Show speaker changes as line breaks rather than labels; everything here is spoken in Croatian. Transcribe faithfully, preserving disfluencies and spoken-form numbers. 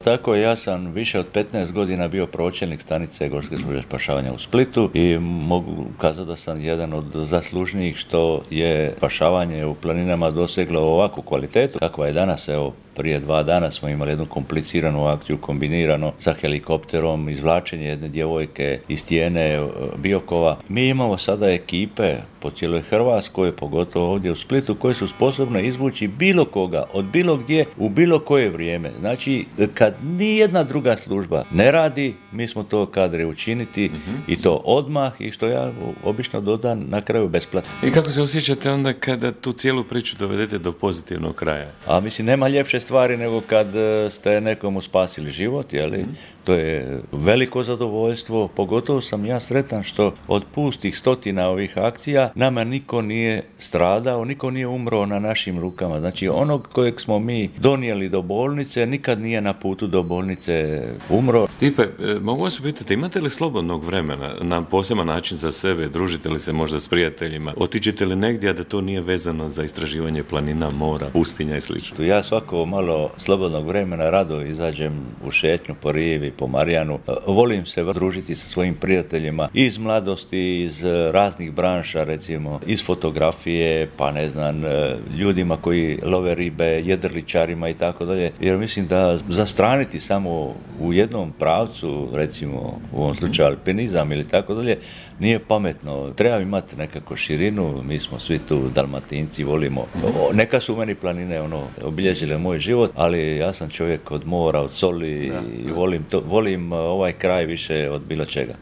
Tako je, ja sam više od petnaest godina bio pročelnik stanice Gorske službe spašavanja u Splitu i mogu kazati da sam jedan od zaslužnijih što je spašavanje u planinama doseglo ovakvu kvalitetu kakva je danas. Evo, prije dva dana smo imali jednu kompliciranu akciju kombinirano sa helikopterom, izvlačenje jedne djevojke iz stijene Biokova. Mi imamo sada ekipe po cijeloj Hrvatskoj, pogotovo ovdje u Splitu, koje su sposobne izvući bilo koga, od bilo gdje, u bilo koje vrijeme. Znači, kad nijedna druga služba ne radi, mi smo to kadri učiniti mm-hmm. i to odmah i što ja obično dodam na kraju besplatno.
I kako se osjećate onda kada tu cijelu priču dovedete do pozitivnog kraja?
A mislim, nema ljepše stvari nego kad ste nekomu spasili život, jeli? Mm-hmm. To je veliko zadovoljstvo, pogotovo sam ja sretan što od pustih stotina ovih akcija nama niko nije stradao, niko nije umro na našim rukama. Znači, onog kojeg smo mi donijeli do bolnice, nikad nije na putu do bolnice umro.
Stipe, mogu vas upitati, imate li slobodnog vremena na poseban način za sebe? Družite li se možda s prijateljima? Otiđete li negdje, a da to nije vezano za istraživanje planina, mora, pustinja i slično?
Ja svako malo slobodnog vremena rado izađem u šetnju po rivi, po Marijanu. Volim se družiti sa svojim prijateljima iz mladosti, iz raznih branša, recimo iz fotografije, pa ne znam, ljudima koji love ribe, jedriličarima i tako dalje. Jer mislim da zastraniti samo u jednom pravcu, recimo u ovom slučaju alpinizam ili tako dalje, nije pametno. Treba imati nekako širinu, mi smo svi tu Dalmatinci, volimo. O, neka su meni planine ono, obilježile moj život, ali ja sam čovjek od mora, od soli da, i volim, to, volim ovaj kraj više od bilo čega.